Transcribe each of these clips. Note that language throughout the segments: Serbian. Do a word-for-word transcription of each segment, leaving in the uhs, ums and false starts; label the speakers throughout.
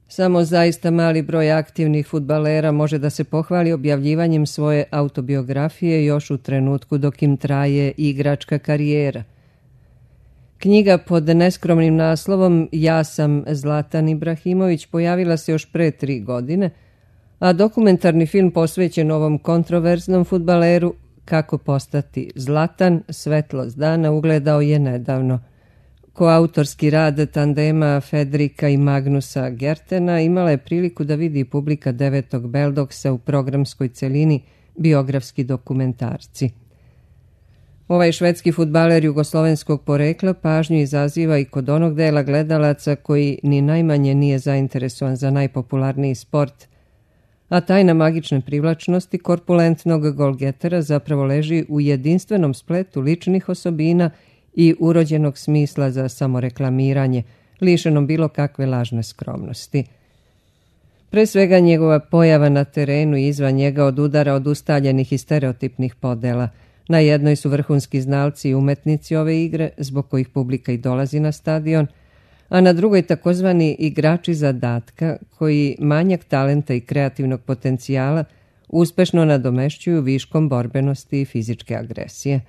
Speaker 1: Samo zaista mali broj aktivnih fudbalera može da se pohvali objavljivanjem svoje autobiografije još u trenutku dok im traje igračka karijera. Knjiga pod neskromnim naslovom Ja sam Zlatan Ibrahimović pojavila se još pre tri godine, a dokumentarni film posvećen ovom kontroverznom fudbaleru Kako postati Zlatan, svetlost dana, ugledao je nedavno. Koautorski rad tandema Fedrika i Magnusa Gertena imala je priliku da vidi publika devetog Beldoksa u programskoj celini biografski dokumentarci. Ovaj švedski fudbaler jugoslovenskog porekla pažnju izaziva i kod onog dela gledalaca koji ni najmanje nije zainteresovan za najpopularniji sport, a tajna magične privlačnosti korpulentnog golgetera zapravo leži u jedinstvenom spletu ličnih osobina i urođenog smisla za samoreklamiranje, lišenom bilo kakve lažne skromnosti. Pre svega njegova pojava na terenu i izvan njega odudara od ustaljenih i stereotipnih podela. Na jednoj su vrhunski znalci i umetnici ove igre, zbog kojih publika i dolazi na stadion, a na drugoj takozvani igrači zadatka, koji manjak talenta i kreativnog potencijala uspešno nadomešćuju viškom borbenosti i fizičke agresije.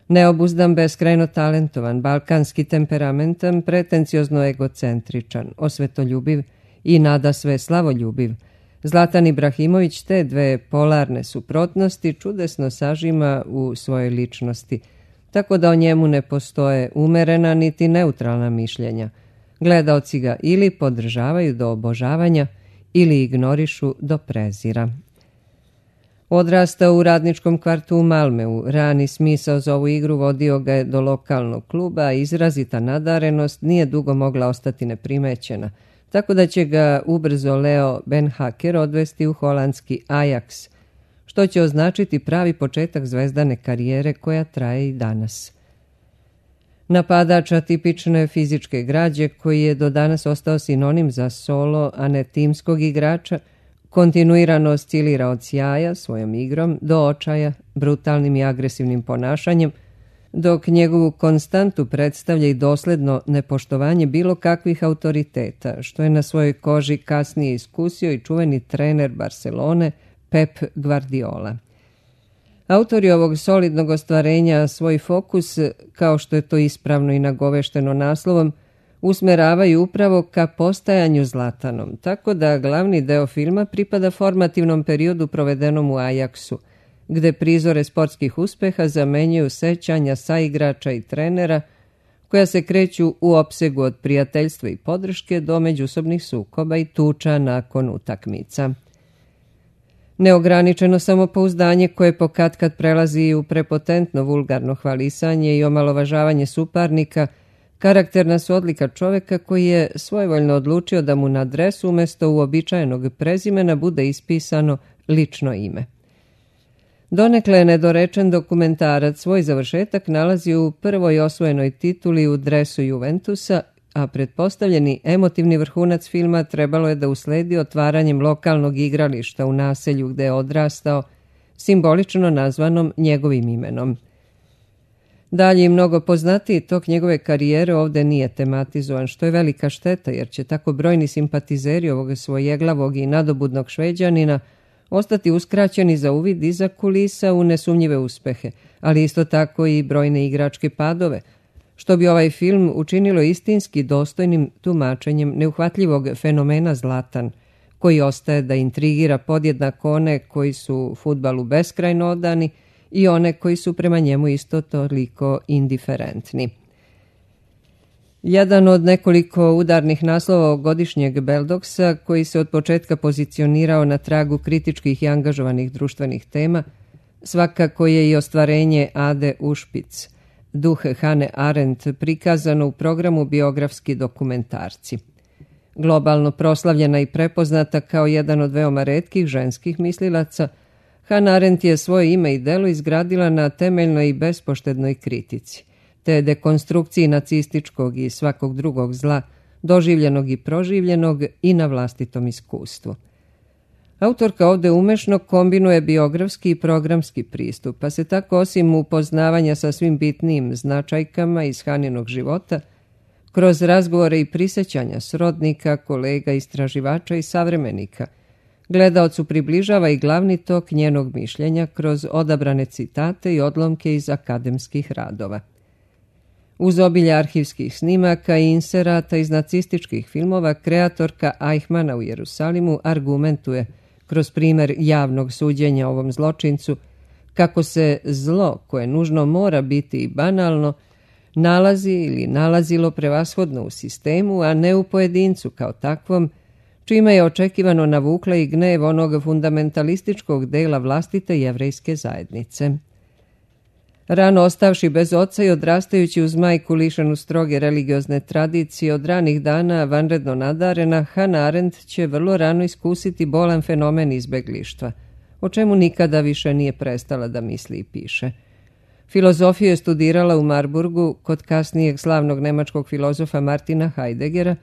Speaker 1: Neobuzdan, beskrajno talentovan, balkanski temperamentan, pretenciozno egocentričan, osvetoljubiv i nadasve slavoljubiv, Zlatan Ibrahimović te dve polarne suprotnosti čudesno sažima u svojoj ličnosti, tako da o njemu ne postoje umerena niti neutralna mišljenja. Gledaoci ga ili podržavaju do obožavanja ili ignorišu do prezira. Odrastao u radničkom kvartu u Malmeu, rani smisao za ovu igru vodio ga je do lokalnog kluba, a izrazita nadarenost nije dugo mogla ostati neprimećena, tako da će ga ubrzo Leo Benhaker odvesti u holandski Ajax, što će označiti pravi početak zvezdane karijere koja traje i danas. Napadača tipične fizičke građe, koji je do danas ostao sinonim za solo, a ne timskog igrača, kontinuirano oscilira od sjaja svojom igrom do očaja, brutalnim i agresivnim ponašanjem, dok njegovu konstantu predstavlja i dosledno nepoštovanje bilo kakvih autoriteta, što je na svojoj koži kasnije iskusio i čuveni trener Barcelone Pep Guardiola. Autori ovog solidnog ostvarenja svoj fokus, kao što je to ispravno i nagovešteno naslovom, usmeravaju upravo ka postajanju Zlatanom, tako da glavni deo filma pripada formativnom periodu provedenom u Ajaksu, gde prizore sportskih uspeha zamenjuju sećanja saigrača i trenera, koja se kreću u opsegu od prijateljstva i podrške do međusobnih sukoba i tuča nakon utakmica. Neograničeno samopouzdanje koje pokatkad prelazi u prepotentno vulgarno hvalisanje i omalovažavanje suparnika karakterna su odlika čoveka koji je svojevoljno odlučio da mu na dresu umesto uobičajenog prezimena bude ispisano lično ime. Donekle nedorečen dokumentarac svoj završetak nalazi u prvoj osvojenoj tituli u dresu Juventusa, a pretpostavljeni emotivni vrhunac filma trebalo je da usledi otvaranjem lokalnog igrališta u naselju gde je odrastao, simbolično nazvanom njegovim imenom. Dalje i mnogo poznatiji tok njegove karijere ovde nije tematizovan, što je velika šteta, jer će tako brojni simpatizeri ovog svojeglavog i nadobudnog Šveđanina ostati uskraćeni za uvid iza kulisa u nesumnjive uspehe, ali isto tako i brojne igračke padove, što bi ovaj film učinilo istinski dostojnim tumačenjem neuhvatljivog fenomena Zlatan, koji ostaje da intrigira podjednako one koji su fudbalu beskrajno odani i one koji su prema njemu isto toliko indiferentni. Jedan od nekoliko udarnih naslova godišnjeg Beldoksa, koji se od početka pozicionirao na tragu kritičkih i angažovanih društvenih tema, svakako je i ostvarenje Ade Ušpic, duh Hane Arendt, prikazano u programu biografski dokumentarci. Globalno proslavljena i prepoznata kao jedan od veoma retkih ženskih mislilaca, Hannah Arendt je svoje ime i delo izgradila na temeljnoj i bespoštednoj kritici, te dekonstrukciji nacističkog i svakog drugog zla, doživljenog i proživljenog i na vlastitom iskustvu. Autorka ovde umešno kombinuje biografski i programski pristup, pa se tako osim upoznavanja sa svim bitnijim značajkama iz Haninog života, kroz razgovore i prisjećanja srodnika, kolega, istraživača i savremenika. Gledaocu približava i glavni tok njenog mišljenja kroz odabrane citate i odlomke iz akademskih radova. Uz obilje arhivskih snimaka i inserata iz nacističkih filmova, kreatorka Eichmanna u Jerusalimu argumentuje kroz primjer javnog suđenja ovom zločincu kako se zlo, koje nužno mora biti i banalno, nalazi ili nalazilo prevashodno u sistemu, a ne u pojedincu kao takvom, čime je očekivano navukla i gnev onog fundamentalističkog dela vlastite jevrejske zajednice. Rano ostavši bez oca i odrastajući uz majku lišenu stroge religiozne tradicije, od ranih dana vanredno nadarena, Hannah Arendt će vrlo rano iskusiti bolan fenomen izbeglištva, o čemu nikada više nije prestala da misli i piše. Filozofiju je studirala u Marburgu kod kasnijeg slavnog nemačkog filozofa Martina Heideggera,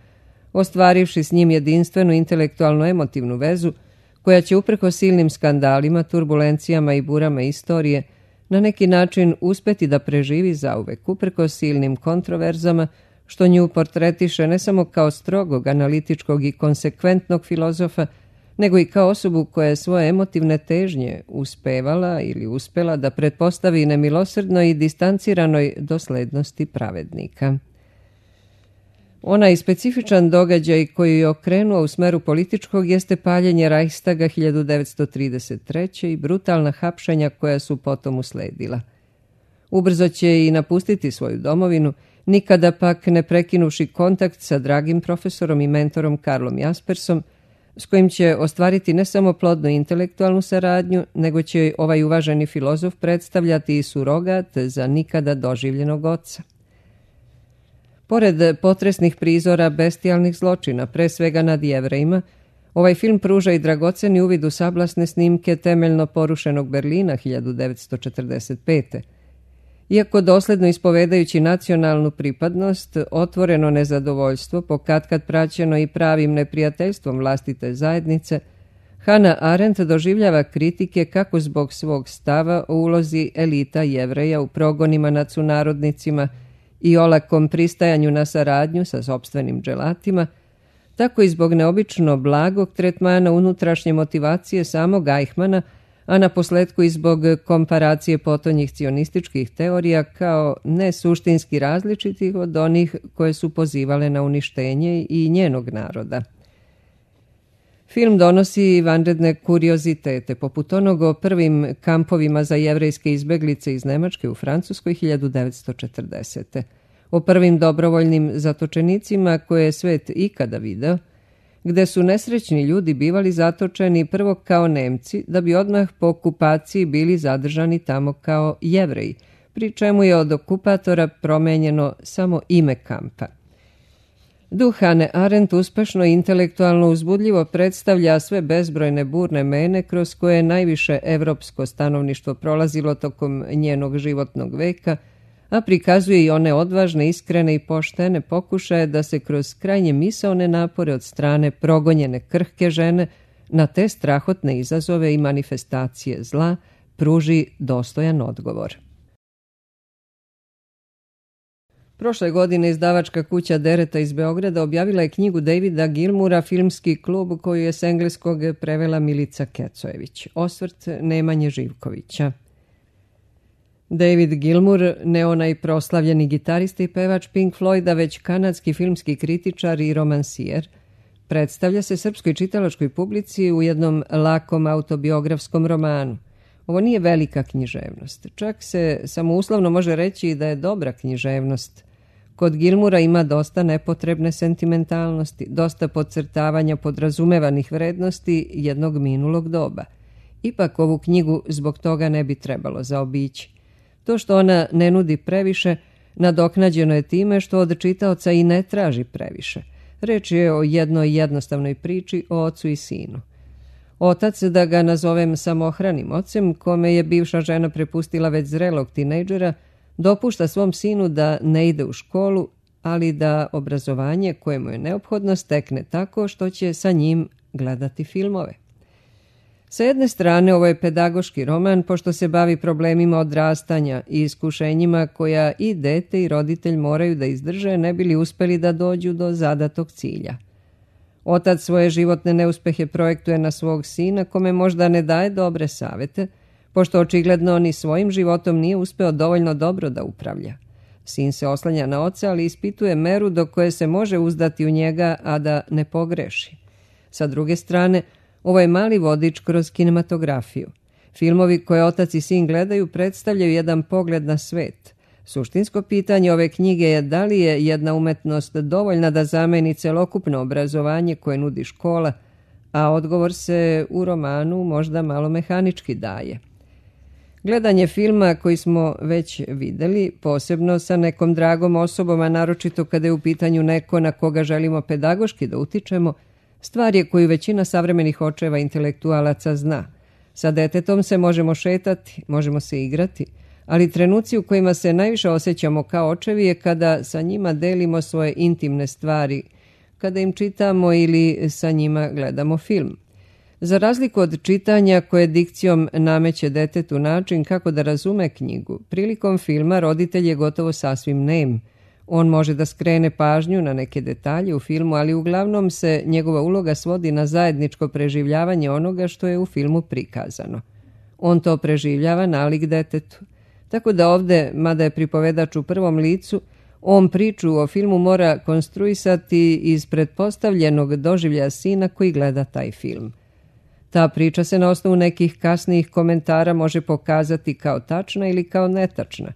Speaker 1: ostvarivši s njim jedinstvenu intelektualno-emotivnu vezu koja će uprkos silnim skandalima, turbulencijama i burama istorije na neki način uspeti da preživi zauvek, uprkos silnim kontroverzama, što nju portretiše ne samo kao strogog, analitičkog i konsekventnog filozofa, nego i kao osobu koja je svoje emotivne težnje uspevala ili uspela da pretpostavi nemilosrdnoj i distanciranoj doslednosti pravednika. Onaj specifičan događaj koji je okrenuo u smeru političkog jeste paljenje Reichstaga hiljadu devetsto trideset treće. i brutalna hapšenja koja su potom usledila. Ubrzo će i napustiti svoju domovinu, nikada pak ne prekinuši kontakt sa dragim profesorom i mentorom Karlom Jaspersom, s kojim će ostvariti ne samo plodnu intelektualnu saradnju, nego će ovaj uvaženi filozof predstavljati i surogat za nikada doživljenog oca. Pored potresnih prizora bestijalnih zločina, pre svega nad Jevrejima, ovaj film pruža i dragoceni uvid u sablasne snimke temeljno porušenog Berlina hiljadu devetsto četrdeset pete. Iako dosledno ispovedajući nacionalnu pripadnost, otvoreno nezadovoljstvo, pokatkad praćeno i pravim neprijateljstvom vlastite zajednice, Hannah Arendt doživljava kritike kako zbog svog stava o ulozi elita Jevreja u progonima nad sunarodnicima i olakom pristajanju na saradnju sa sopstvenim dželatima, tako i zbog neobično blagog tretmana unutrašnje motivacije samog Eichmanna, a na posledku i zbog komparacije potonjih cionističkih teorija kao nesuštinski različitih od onih koje su pozivale na uništenje i njenog naroda. Film donosi vanredne kuriozitete, poput onog o prvim kampovima za jevrejske izbeglice iz Nemačke u Francuskoj hiljadu devetsto četrdesete. O prvim dobrovoljnim zatočenicima koje je svet ikada video, gde su nesrećni ljudi bivali zatočeni prvo kao Nemci, da bi odmah po okupaciji bili zadržani tamo kao Jevreji, pri čemu je od okupatora promenjeno samo ime kampa. Duh Hannah Arendt uspešno i intelektualno uzbudljivo predstavlja sve bezbrojne burne mene kroz koje je najviše evropsko stanovništvo prolazilo tokom njenog životnog veka, a prikazuje i one odvažne, iskrene i poštene pokušaje da se kroz krajnje misaone napore od strane progonjene krhke žene na te strahotne izazove i manifestacije zla pruži dostojan odgovor. Prošle godine izdavačka kuća Dereta iz Beograda objavila je knjigu Davida Gilmoura Filmski klub, koju je s engleskog prevela Milica Kecojević. Osvrt Nemanje Živkovića. David Gilmour, ne onaj proslavljeni gitarista i pevač Pink Floyda, već kanadski filmski kritičar i romansijer, predstavlja se srpskoj čitalačkoj publici u jednom lakom autobiografskom romanu. Ovo nije velika književnost. Čak se samouslovno može reći da je dobra književnost. Kod Gilmoura ima dosta nepotrebne sentimentalnosti, dosta podcrtavanja podrazumevanih vrednosti jednog minulog doba. Ipak ovu knjigu zbog toga ne bi trebalo zaobići. To što ona ne nudi previše, nadoknađeno je time što od čitaoca i ne traži previše. Reč je o jednoj jednostavnoj priči o ocu i sinu. Otac, da ga nazovem samohranim ocem, kome je bivša žena prepustila već zrelog tinejdžera, dopušta svom sinu da ne ide u školu, ali da obrazovanje koje mu je neophodno stekne tako što će sa njim gledati filmove. Sa jedne strane, ovo je pedagoški roman pošto se bavi problemima odrastanja i iskušenjima koja i dete i roditelj moraju da izdrže ne bi li uspeli da dođu do zadatog cilja. Otac svoje životne neuspehe projektuje na svog sina, kome možda ne daje dobre savete, pošto očigledno ni svojim životom nije uspeo dovoljno dobro da upravlja. Sin se oslanja na oca, ali ispituje meru do koje se može uzdati u njega, a da ne pogreši. Sa druge strane, ovo je mali vodič kroz kinematografiju. Filmovi koje otac i sin gledaju predstavljaju jedan pogled na svet. Suštinsko pitanje ove knjige je da li je jedna umetnost dovoljna da zameni celokupno obrazovanje koje nudi škola, a odgovor se u romanu možda malo mehanički daje. Gledanje filma koji smo već videli, posebno sa nekom dragom osobom, a naročito kada je u pitanju neko na koga želimo pedagoški da utičemo, stvar je koju većina savremenih očeva intelektualaca zna. Sa detetom se možemo šetati, možemo se igrati, ali trenuci u kojima se najviše osjećamo kao očevi je kada sa njima delimo svoje intimne stvari, kada im čitamo ili sa njima gledamo film. Za razliku od čitanja koje dikcijom nameće detetu način kako da razume knjigu, prilikom filma roditelj je gotovo sasvim nem. On može da skrene pažnju na neke detalje u filmu, ali uglavnom se njegova uloga svodi na zajedničko preživljavanje onoga što je u filmu prikazano. On to preživljava nalik detetu. Tako da ovde, mada je pripovedač u prvom licu, on priču o filmu mora konstruisati iz pretpostavljenog doživljaja sina koji gleda taj film. Ta priča se na osnovu nekih kasnijih komentara može pokazati kao tačna ili kao netačna.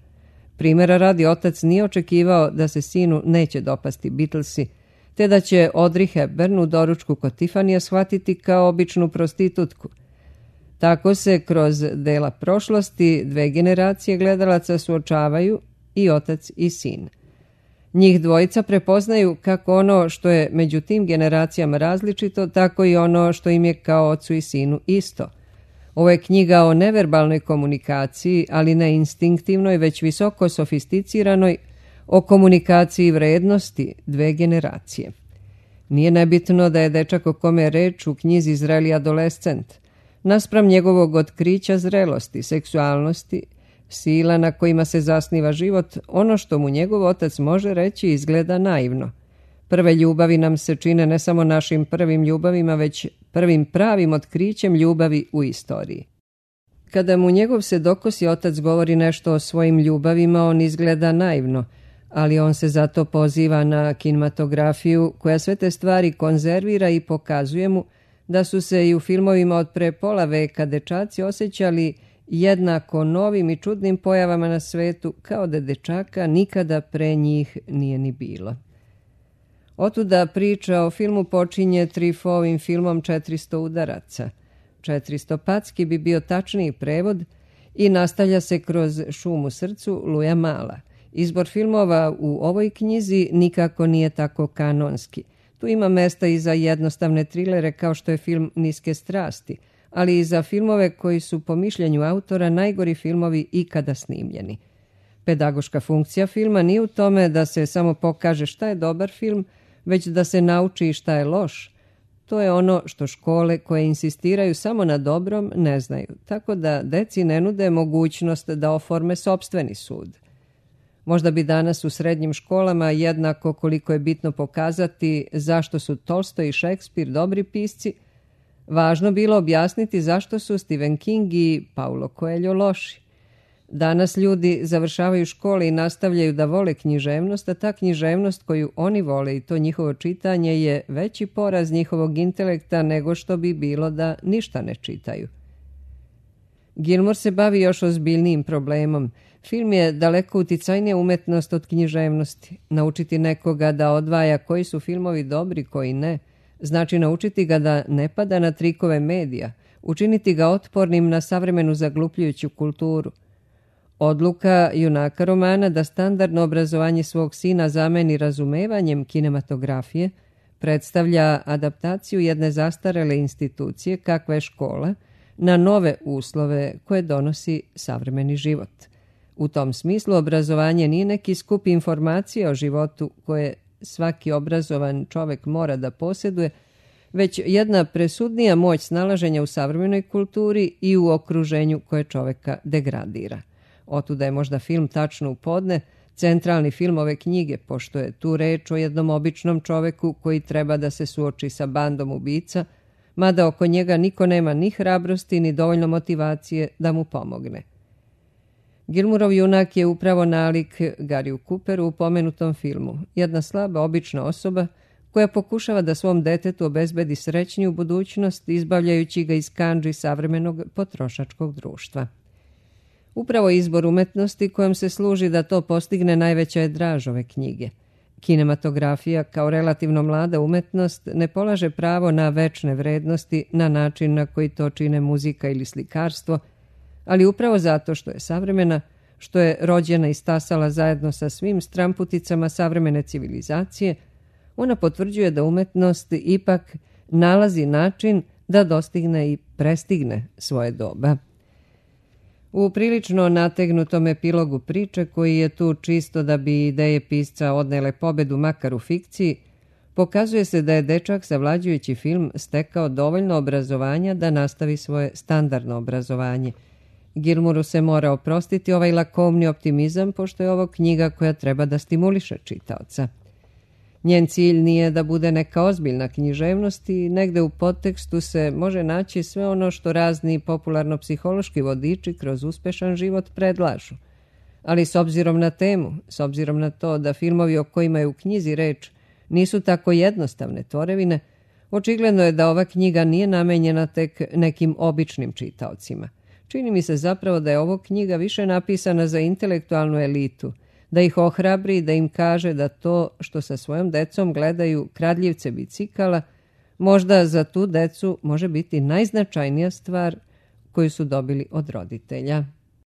Speaker 1: Primjera radi, otac nije očekivao da se sinu neće dopasti Beatlesi, te da će Audrey Hepburn u doručku kod Tiffanyja shvatiti kao običnu prostitutku. Tako se kroz dela prošlosti dve generacije gledalaca suočavaju, i otac i sin. Njih dvojica prepoznaju kako ono što je među tim generacijama različito, tako i ono što im je kao ocu i sinu isto. Ovo je knjiga o neverbalnoj komunikaciji, ali ne instinktivnoj, već visoko sofisticiranoj, o komunikaciji vrednosti dve generacije. Nije nebitno da je dečak o kome je reč u knjizi zreli adolescent. Naspram njegovog otkrića zrelosti, seksualnosti, sila na kojima se zasniva život, ono što mu njegov otac može reći izgleda naivno. Prve ljubavi nam se čine ne samo našim prvim ljubavima, već prvim pravim otkrićem ljubavi u istoriji. Kada mu njegov sedokosi otac govori nešto o svojim ljubavima, on izgleda naivno, ali on se zato poziva na kinematografiju koja sve te stvari konzervira i pokazuje mu da su se i u filmovima od pre pola veka dečaci osjećali jednako novim i čudnim pojavama na svetu, kao da dečaka nikada pre njih nije ni bilo. Otuda priča o filmu počinje Truffautovim filmom četiristo udaraca. četiristo packi bi bio tačniji prevod i nastavlja se kroz Šum u srcu Luja Mala. Izbor filmova u ovoj knjizi nikako nije tako kanonski. Tu ima mesta i za jednostavne trilere kao što je film Niske strasti, ali i za filmove koji su po mišljenju autora najgori filmovi ikada snimljeni. Pedagoška funkcija filma nije u tome da se samo pokaže šta je dobar film, već da se nauči šta je loš. To je ono što škole koje insistiraju samo na dobrom ne znaju, tako da deci ne nude mogućnost da oforme sopstveni sud. Možda bi danas u srednjim školama jednako koliko je bitno pokazati zašto su Tolstoj i Šekspir dobri pisci, važno bilo objasniti zašto su Stephen King i Paulo Coelho loši. Danas ljudi završavaju škole i nastavljaju da vole književnost, a ta književnost koju oni vole i to njihovo čitanje je veći poraz njihovog intelekta nego što bi bilo da ništa ne čitaju. Gilmore se bavi još ozbiljnijim problemom. Film je daleko uticajnija umetnost od književnosti. Naučiti nekoga da odvaja koji su filmovi dobri, koji ne, znači naučiti ga da ne pada na trikove medija, učiniti ga otpornim na savremenu zaglupljujuću kulturu. Odluka junaka romana da standardno obrazovanje svog sina zameni razumevanjem kinematografije predstavlja adaptaciju jedne zastarele institucije kakva je škola na nove uslove koje donosi savremeni život. U tom smislu obrazovanje nije neki skup informacija o životu koje svaki obrazovan čovek mora da posjeduje, već jedna presudnija moć snalaženja u savremenoj kulturi i u okruženju koje čoveka degradira. Otuda je možda film Tačno u podne centralni film ove knjige, pošto je tu reč o jednom običnom čoveku koji treba da se suoči sa bandom ubica, mada oko njega niko nema ni hrabrosti ni dovoljno motivacije da mu pomogne. Gilmourov junak je upravo nalik Garyu Cooperu u pomenutom filmu, jedna slaba obična osoba koja pokušava da svom detetu obezbedi srećniju budućnost izbavljajući ga iz kandži savremenog potrošačkog društva. Upravo izbor umetnosti kojom se služi da to postigne najveća je draž ove knjige. Kinematografija kao relativno mlada umetnost ne polaže pravo na večne vrednosti na način na koji to čine muzika ili slikarstvo, ali upravo zato što je savremena, što je rođena i stasala zajedno sa svim stramputicama savremene civilizacije, ona potvrđuje da umetnost ipak nalazi način da dostigne i prestigne svoje doba. U prilično nategnutom epilogu priče, koji je tu čisto da bi ideje pisca odnele pobedu makar u fikciji, pokazuje se da je dečak savlađujući film stekao dovoljno obrazovanja da nastavi svoje standardno obrazovanje. Gilmouru se mora oprostiti ovaj lakomni optimizam, pošto je ovo knjiga koja treba da stimuliše čitaoca. Njen cilj nije da bude neka ozbiljna književnost i negde u podtekstu se može naći sve ono što razni popularno-psihološki vodiči kroz uspešan život predlažu. Ali s obzirom na temu, s obzirom na to da filmovi o kojima je u knjizi reč nisu tako jednostavne tvorevine, očigledno je da ova knjiga nije namenjena tek nekim običnim čitaocima. Čini mi se zapravo da je ovo knjiga više napisana za intelektualnu elitu, da ih ohrabri, da im kaže da to što sa svojom decom gledaju kradljivce bicikala, možda za tu decu može biti najznačajnija stvar koju su dobili od roditelja.